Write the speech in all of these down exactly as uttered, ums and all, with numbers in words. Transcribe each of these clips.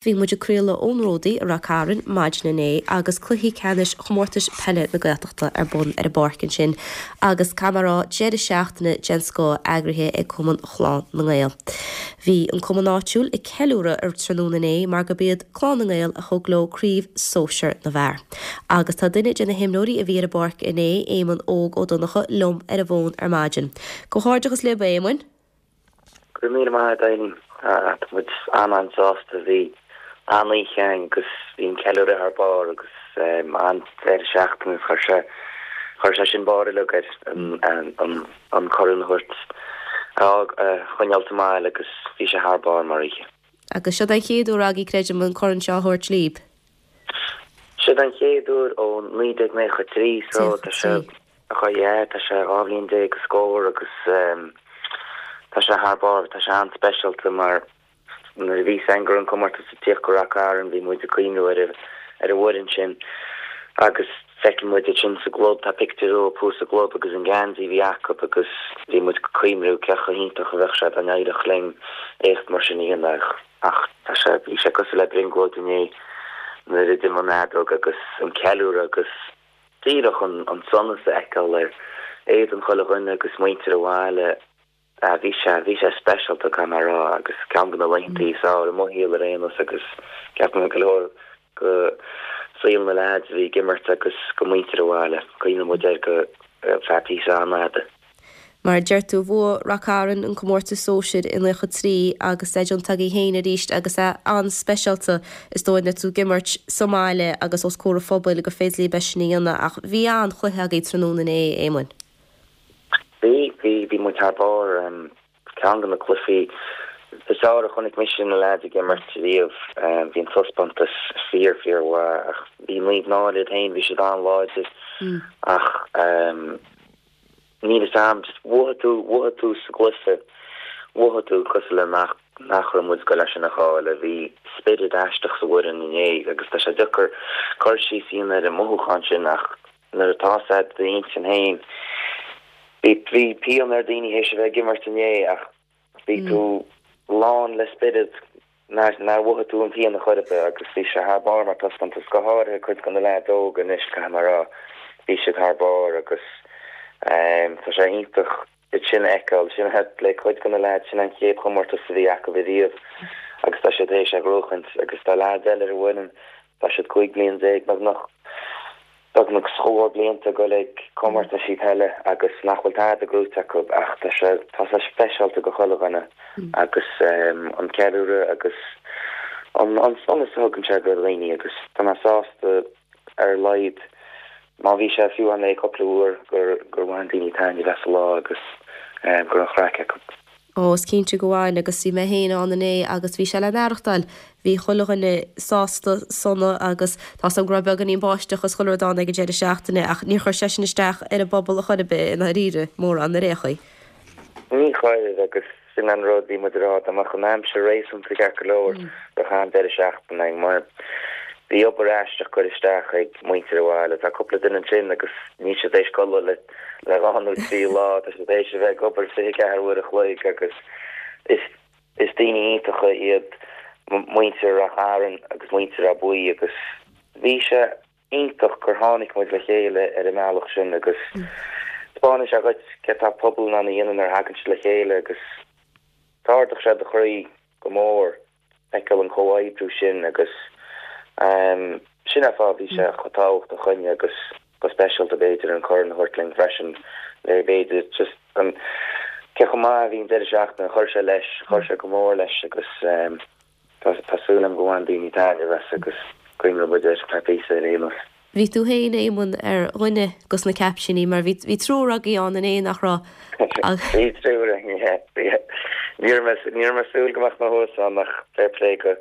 Bhí muid ag craoladh ón Ródaí i Ráth Cairn maidin inné agus cluichí ceannais chomórtais peile na Gaeltachta ar bun ar an bpáirc ansin agus comóradh deireadh seachtaine den scoth eagraithe ag Cumann Chlann na nGael. Bhí an cumann áitiúil ag ceiliúradh ar tráthnóna inné mar gurb iad Clann na nGael a thug leo craobh sóisir na bhfear. Agus tá duine de na himreoirí a bhí ar an bpáirc inné Éamonn Óg Ó Donncha liom ar an bhfón ar maidin. Comhghairdeachas libh Éamonn? Go míle maith Eileen tá muid an-an-sásta bhí an-oíche againn agus bhí an ceiliúradh thar barr agus an deireadh seachtaine chuir sé chuir sé sin barr uilig ar an an corn a thabhairt a choinneáil sa mbaile agus bhí sé thar barr mar oíche. Agus seo an chéad uair agaibh creidim an corn seo a thabhairt libh. Seo an chéad uair ó naoi déag nócha trí so tá sé yeah, tá sé dhá bhliain déag go scór agus tá sé thar barr tá sé an-speisialta mar nuair a bhí san gur an comórtas ag tíocht go Ráth Cairn bhí muid ag cuimhniú ar ar an bhfoireann sin agus feiceann muid sin sa gclub tá pictiúr thuas sa gclub agus an geansaí bhí acu agus bhí muid ag cuimhniú cé chomh hiontach a bheadh sé dá n-éireodh linn éacht mar sin a dhéanamh ach tá sé bhí sé cosúil le brionglóid inné nuair a d'imigh an fheadóg agus an ceiliúradh agus díreach an an sonas a fheiceáil ar éadan chuile dhuine agus muintir an bhaile bhí sé bhí sé speisialta gan rá agus ceann de na laethanta is fearr i mo shaol ar aon nós agus ceapaim go leor go saol na leaids a bhí ag imirt agus go muintir an bhaile cuimhneoidh muid air go feadh píosa an-fhada. Mar deir tú bhuaigh Ráth Cairn an comórtas sóisir i nócha trí agus é déanta agaibh féin arís agus é an-speisialta is dóigh le tú ag imirt sa mbaile agus os comhair an phobail go féidir libh é sin a dhéanamh ach bhí an-chluiche agaibh tráthnóna inné Éamonn. Bhí bhí bhí muid thar barr ceann de na cluichí is fearr a chonaic mise na leaids ag imirt riamh bhí an taispeántas fíor fíormhaith ach bhí Naomh Náille iad féin bhí siad an-láidir ach níl a fhios agam just mhothaigh tú mhothaigh tú sa gcluiche mhothaigh tú cosúil le nach nach raibh muid ag goil leis sin a chailleadh bhí spiorad aisteach sa bhfoireann inné agus tá sé deacair cur síos a dhéanamh ar an mothúchán sin ach nuair atá sé i d'intinn féin Bhí bhí pian ar daoine théis a bheith ag imirt inné ach bhí tú lán le spiorad nár nár mhothaigh tú an pian a chor ar bith agus bhí sé thar barr mar taispeántas go háirithe cuid de na leaids óga anois caithfidh mé a rá bhí siad thar barr agus tá sé iontach iad sin a fheiceáil sin le cuid de na leaids sin an chéad chomórtas a bhí acu riamh agus tá siad théis a ghnóthachaint agus tá leaids eile ar an bhfoireann tá siad cúig bliain déag beagnach beagnach scór blianta go ag comórtaisí peile agus nach bhfuil tada gnóite acu ach tá sé tá sé speisialta go chuile dhuine agus an ceiliúradh agus an an sonas a thugann sé go dhaoine agus tá mé sásta ar a laghad má bhí sé fiú an le cúpla uair gur gur bhain daoine taitneamh as an lá agus go raibh an chraic acu. Ó is cinnte go bhfuil agus bhí mé féin ann inné agus bhí sé le n-aireachtáil bhí chuile dhuine sásta sona agus tá an go raibh beagáinín báisteach is chuile rud ann ag an deireadh seachtaine ach níor chuir sé sin isteach ar an bpobal a chor ar bith i ndáiríre mórán ar aon chaoi. Ní chuir agus sin an rud bhí muid ag rá dá mbeadh an aimsir réasúnta ceart go leor bheadh an deireadh seachtaine againn mar bhí obair aisteach curtha isteach ag muintir an bhaile tá cúpla duine ansin agus níl siad théis codladh le le dhá nó trí lá tá siad théis a bheith ag obair fiche ceathair uair a chloig agus is is daoine iontacha iad muintir Ráth Cairn agus muintir Ráth Buí agus bhí sé iontach gur tháinig muid le chéile ar an mbealach sin agus taispeánann sé dhuit cé tá pobal in ann a dhéanamh nuair a thagann siad le chéile agus d'ardaigh sé do chroí go mór feiceáil an comhoibriú sin agus um, sin an fáth bhí sé chomh tábhachtach dúinne agus go speisialta b'fhéidir an corn a thabhairt linn freisin le b'fhéidir just an cé chomh maith bhí an deireadh seachtaine chuir sé leis chuir sé go mór leis agus um, tá tá súil agam go bhain daoine taitneamh as agus cuimhneoidh muid air feadh píosa ar aon nós. Bhí tú féin Éamonn ar dhuine de na caiptíní mar bhí bhí triúr agaibh ann inné nach raibh. Bhí triúr ní ní raibh súil go mbeadh mé thuas ann ach fair play go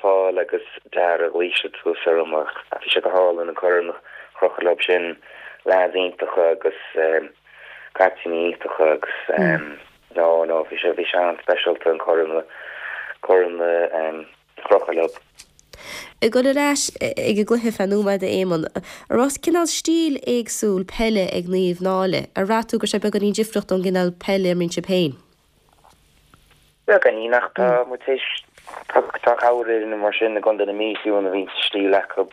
Paul agus Dara ghlaoigh siad suas orm ach bhí sé go hálainn an corn a chrochadh leo sin leaids iontacha agus caiptíní iontacha agus no no bhí sé bhí sé an-speisialta an corn corn chrochadh leo. Ag dul ar ais ag an gcluiche feadh nóiméad Éamonn, an raibh cineál stíl éagsúil peile ag Naomh Náille, ar bhraith tú go raibh sé beagáinín difriúil ón gcineál peile a imríonn sibh féin. Beagáinín ach tá muid théis Tá cabhair mar sin i gContae na Mí fiú a bhí stíl acu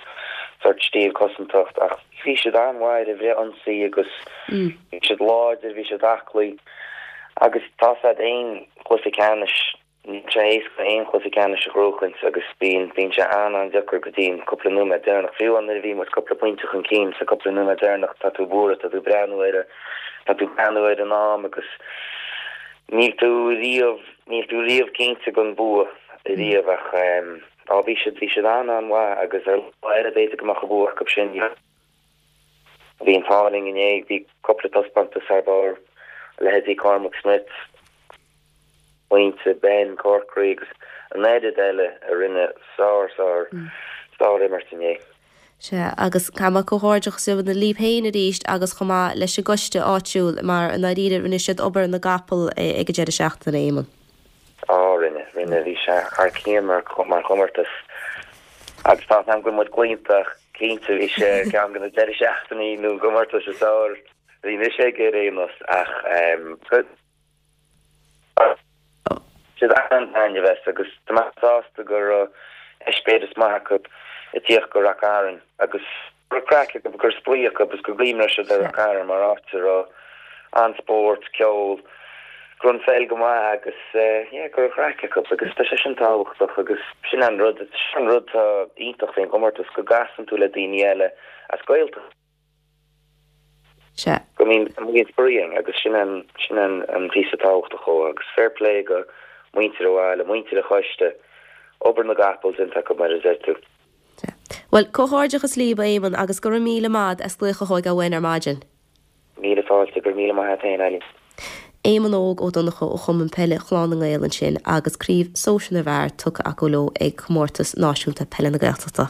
sort stíl cosantacht ach bhí siad an-mhaith ar bhreith ionsaí agus bhí siad láidir, bhí siad aclaí agus tá siad aon chluiche ceannais níl sé éasca aon chluiche ceannais a ghnóchaint agus bíonn bíonn sé an-an-deacair go dtí an cúpla nóiméad deireanach. Fiú nuair a bhí muid cúpla pointe chun cinn sa cúpla nóiméad deireanach tá tú buartha, tá tú breathnú ar tá tú breathnú ar an am agus níl tú riamh níl tú riamh cinnte den bua riamh ach á bhí siad bhí siad an-an-mhaith agus ar lá eile b'fhéidir go mbeadh an bua acu sin. Bhí an t-ádh linn inné bhí cúpla taispeántas thar barr leithéidí Cormac Smith, Pointe Ben Corkery agus an oiread eile a rinne sár sár sár imirt inné. Sea agus caithfidh mé comhghairdeachas a ghabháil libh féin arís agus chomh maith leis an gcoiste áitiúil mar i ndáiríre rinne siad obair na gcapall ag an deireadh seachtaine Éamonn. Á rinne rinne bhí sé thar cionn mar mar chomórtas agus tá an go muid claonta cinnte bhí sé ceann de na deireadh seachtainí nó comórtas is fearr bhí mise ag ar aon nós ach siad an-taitneamh as agus tá mé sásta go raibh eispéireas maith acu ag tíocht go Ráth Cairn agus go raibh craic acu go raibh spraoi acu agus go gcuimhneoidh siad ar Ráth Cairn mar áit a raibh an-spórt, ceol, go raibh an pheil go maith agus yeah go raibh craic acu agus tá sé sin tábhachtach agus sin an rud sin an rud atá iontach faoin gcomórtas go gcasann tú le daoine eile as Gaeltacht. Sea. Go mbíonn mbíonn spraoi ann agus sin an sin an an píosa tábhachtach dhó agus fair play go muintir an bhaile, muintir an choiste, obair na gcapall déanta acu mar a deir tú. Bhuel, comhghairdeachas libh Éamonn agus go raibh míle maith as glaoch a thógáil uainn ar maidin. Míle fáilte go raibh míle maith agat féin Eileen. Éamonn Óg Ó Donnchadha ó Chumann Peile Chlann na nGael ansin agus craobh sóisir na bhfear tugtha acu leo ag comórtas náisiúnta peile na Gaeltachta.